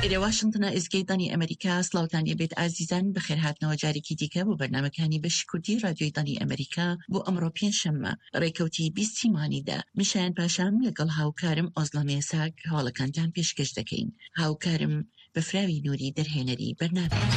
ئێرە واشنتنە ئێزگەی دەنگی ئەمەریکا سڵاوتان لێبێت ئازیزان بەخێرهاتنەوە جارێکی دیکە بۆ بەرنامەکانی بەشی کوردی رادیۆی دەنگی ئەمەریکا بۆ ئەمڕۆ پێنجشەممە ڕێکەوتی بیستی مانگی دە من شایان پاشام لەگەڵ هاوکارم ئۆزڵە مێساک هەواڵەکانتان پێشکەش دەکەین هاوکارم بەفراوی نوری دەرهێنەری بەرنامەیە.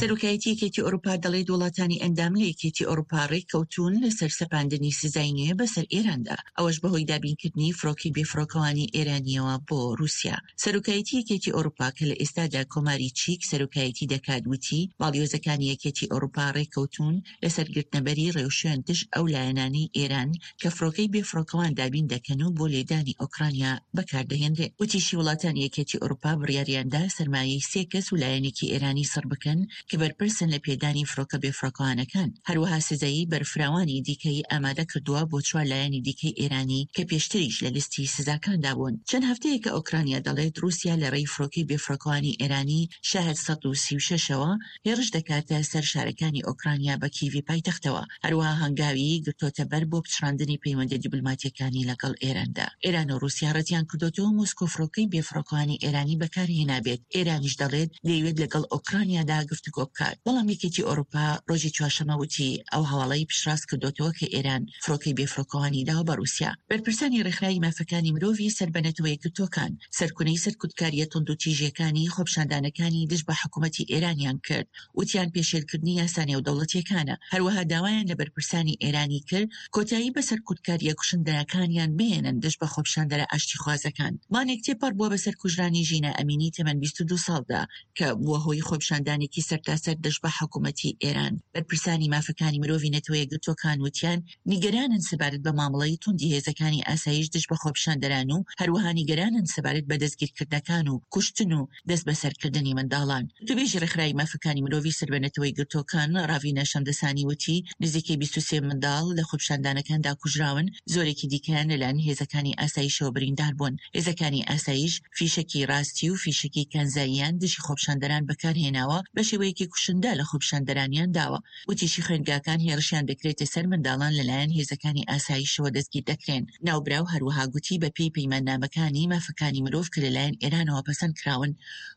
سەرۆکایەتی یەکێتی ئەوروپا دەڵێت وڵاتانی ئەندام لە یەکێتی ئەوروپا ڕێککەوتوون لەسەر سەپاندنی سزای نوێ بەسەر ئێراندا، ئەوەش بەهۆی دابینکردنی فڕۆکەی بێفڕۆکەوانی ئێرانییەوە بۆ رووسیا. سەرۆکایەتی یەکێتی ئەوروپا کە لە ئێستادا کۆماری چیک سەرۆکایەتی دەکات وتی، باڵیۆزەکانی یەکێتی ئەوروپا ڕێککەوتوون لەسەر گرتنەبەری ڕێوشوێن دژ ئەو لایەنانەی ئێران کە فڕۆکەی بێفڕۆکەوان دابین دەکەن و بۆ لێدانی ئۆکرانیا بەکاردەهێنرێت. وتیشی وڵاتانی یەکێتی ئەوروپا بڕیاریاندا سەرمایەی سێ کەس و لایەنێکی ئێرانی سڕ بکەن کە بەرپرسن لە پێدانی فڕۆکە بێفڕۆکەوانەکان. هەروەها سزای بەرفراوانی دیکەی ئامادە کردووە بۆ چوار لایەنی دیکەی ئێرانی کە پێشتریش لە لیستی سزاکاندا بوون. چەند هەفتەیەکە ئۆکرانیا دەڵێت ڕووسیا لە ڕێی فڕۆکەی بێفڕۆکەوانی ئێرانی شاهد 136 ەوە هێڕش دەکاتە سەر شارەکانی ئۆکرانیا بە کیڤی پایتەختەوە، هەروەها هەنگاوی گرتۆتە بەر بۆ پچڕاندنی پەیوەندیە دیبلۆماتیەکانی لەگەڵ ئێراندا. ئێران و ڕووسیا ڕەتیان کردۆتەوە مۆسکۆ فڕۆکەی بێفڕۆکەوانی ئێرانی بەکارهێنابێت، ئێرانیش دەڵێت دەیەوێت لەگەڵ ئۆکرانیادا گفتوگۆ بکات، بەڵام یەکێتی ئەوروپا ڕۆژی چوارشەممە وتی ئەو هەواڵەی پشتڕاست کردۆتەوە کە ئێران فڕۆکەی بێفڕۆکەوانی داوە بە ڕووسیا. بەرپرسانی ڕێکخراوی مافەکانی مرۆڤی سەر بە نەتەوە یەکگرتووەکان سەرکونەی سەرکوتکارییە توندوتیژییەکانی خۆپیشاندانەکانی دژ بە حکوومەتی ئێرانیان کرد، وتیان پێشێلکردنی یاسا نێودەوڵەتییەکانە. هەروەها داوایان لە بەرپرسانی ئێرانی کرد کۆتایی بە سەرکوتکارییە کوشندەکانیان بهێنن دژ بە خۆپیشاندەرە ئاشتیخوازەکان. مانگێک تێپەڕ بووە بەسەر کوژرانی ژینا ئەمینی تەمەن 22 ساڵدا کە بووە هۆی خۆپیشاندانێکی سەرتاسەر دژ بە حکوومەتی ئێران. بەرپرسانی مافەکانی مرۆڤی نەتەوە یەکگرتووەکان وتیان نیگەرانن سەبارەت بە مامەڵەی توندی هێزەکانی ئاسایش دژ بە خۆپیشاندەران و هەروەها نیگەرانن سەبارەت بە دەستگیرکردنەکان و کوشتن و دەستبەسەرکردنی منداڵان. وتەبێژی ڕێکخراوی مافەکانی مرۆڤی سەر بە نەتەوە یەکگرتووەکان ڕاڤینا شەمدەسانی وتی، نزیکەی 23 منداڵ لە خۆپیشاندانەکاندا کوژراون، زۆرێکی دیکەیان لەلایەن هێزەکانی ئاسایشەوە بریندار بوون. هێزەکانی ئاسایش فیشەکی ڕاستی و فیشەکی کانزاییان دژی خۆپیشاندەران بەکارهێناوە، بە شێوەیەکی کوشندە لە خۆپیشاندەرانیان داوە. وتیشی خوێندگاکان هێڕشیان دەکرێتە سەر منداڵان لەلایەن هێزەکانی ئاسایشەوە دەستگیر دەکرێن. ناوبراو هەروەها گوتی بەپێی پەیماننامەکانی مافەکانی مرۆڤ کە لەلایەن ئێرانەوە پەسەند کراون،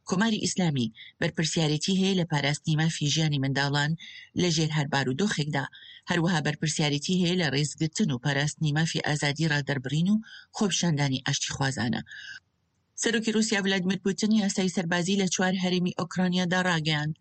کۆماری ئیسلامی بەرپرسیارێتی هەیە لە پاراستنی مافی ژیانی منداڵان لە ژێر هەر بارودۆخێکدا، هەروەها بەرپرسیارێتی هەیە لە ڕێزگرتن و پاراستنی مافی ئازادی ڕادەربڕین و خۆپیشاندانی ئاشتیخوازانە. سەرۆکی ڕووسیا ڤلادیمیر پوتن یاسای سەربازی لە چوار هەرێمی ئۆکرانیادا ڕاگەیاند.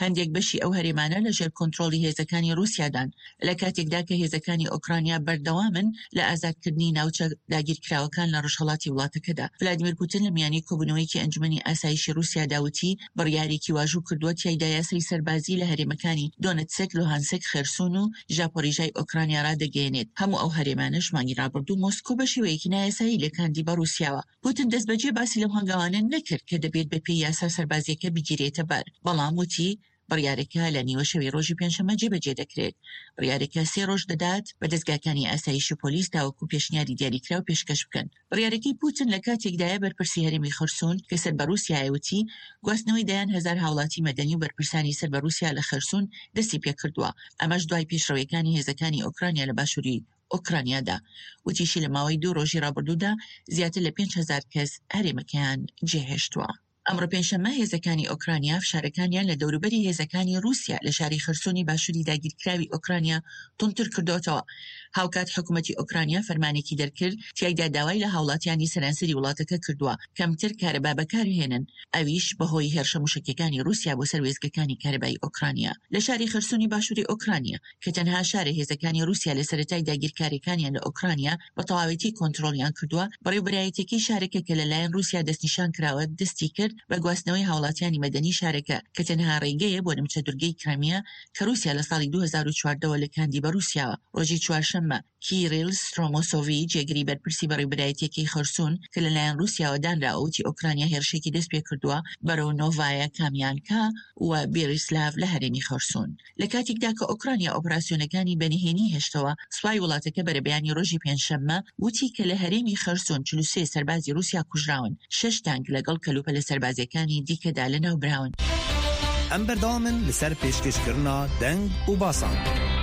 هەندێک بەشی ئەو هەرێمانە لە ژێر کۆنترۆڵی هێزەکانی ڕووسیادان، لە کاتێکدا کە هێزەکانی ئۆکرانیا بەردەوامن لە ئازادکردنی ناوچە داگیرکراوەکان لە ڕۆژهەڵاتی وڵاتەکەدا. ڤلادیمیر پوتن لە میانی کۆبوونەوەیەکی ئەنجومەنی ئاسایشی ڕووسیادا وتی، بڕیارێکی واژوو کردووە تیایدا یاسای سەربازی لە هەرێمەکانی دۆنتسک، لوهانسک، خێرسون و ژاپۆریژای ئۆکرانیا ڕادەگەیەنێت. هەموو ئەو هەرێمانەش مانگی ڕابردوو مۆسکۆ بە شێوەیەکی نایاسایی لکاندی بە ڕووسیاوە. پوتن دەستبەجێ باسی لەو هەنگاوانە نەکرد کە دەبێت بەپێی یاسا سەربازییەکە بگیرێتە بەر، بەڵام وتی بڕیارەکە لە نیوەشەوی ڕۆژی پێنجشەممە جێبەجێ دەکرێت. بڕیارەکە سێ ڕۆژ دەدات بە دەزگاکانی ئاسایش و پۆلیس تاوەکو پێشنیاری دیاریکراو پێشکەش بکەن. بڕیارەکەی پوتن لە کاتێکدایە بەرپرسی هەرێمی خەرسون کە سەر بە ڕووسیایە وتی گواستنەوەی دەیان هەزار هاوڵاتی مەدەنی و بەرپرسانی سەر بە ڕووسیا لە خەرسون دەستی پێکردووە، ئەمەش دوای پێشڕەویەکانی هێزەکانی ئۆکرانیا لە باشووری ئۆکرانیادا. وتیشی لە ماوەی دوو ڕۆژی ڕابردوودا زیاتر لە 5000 کەس هەرێمەکەیان جێهێشتووە. ئەمڕۆ پێنجشەممە هێزەکانی ئۆکرانیا فشارەکانیان لە دەوروبەری هێزەکانی ڕووسیا لە شاری خەرسۆنی باشووری داگیرکراوی ئۆکرانیا توندتر کردۆتەوە. هاوکات حکومەتی ئۆکرانیا فەرمانێکی دەرکرد تیایدا داوای لە هاوڵاتیانی سەرانسەری وڵاتەکە کردووە کەمتر کارەبا بەکاربهێنن، ئەویش بەهۆی هێرشە موشەکیەکانی ڕووسیا بۆ سەر وێستگەکانی کارەبای ئۆکرانیا لە شاری خەرسۆنی باشووری ئۆکرانیا. کە تەنها شارە هێزەکانی ڕووسیا لە سەرەتای داگیرکارییەکانیان لە ئۆکرانیا بە تەواوێتی کۆنترۆڵیان کردووە، بەڕێوبەرایەتیەکەی شارەکە کە لەلایەن ڕووسیا دەستنیشان کراوە دەستی کرد بە گواستنەوەی هاوڵاتیانی مەدەنی شارەکە کە تەنها ڕێگەیە بۆ نمچە دورگەی کرایمیا کە ڕووسیا لە ساڵی 2014 وە لکاندی بە ڕووسیاوە. ڕۆژی چوارشەممە کیریل سترۆمۆسۆڤی جێگری بەرپرسی بەڕێوبەرایەتیەکەی خەرسون کە لەلایەن ڕووسیاوە دانراوە وتی ئۆکرانیا هێرشێکی دەستپێکردووە بەرەو نۆڤایا کامیانکا و بیریسلاڤ لە هەرێمی خەرسون. لە کاتێکدا کە ئۆکرانیا ئۆپراسیۆنەکانی بە نهێنی هێشتەوە، سوپای وڵاتەکە بەرەبەیانی ڕۆژی پێنجشەممە وتی کە لە هەرێمی خەرسۆن 43 سەربازی ڕووسیا کوژراون، شەش تانک لەگەڵ کەلوپەلە سەربازییەکانی دیکەدا لەناوبراون. ئەم بەردەوامن لەسەر پێشکەشکردنا دەنگ و باسان.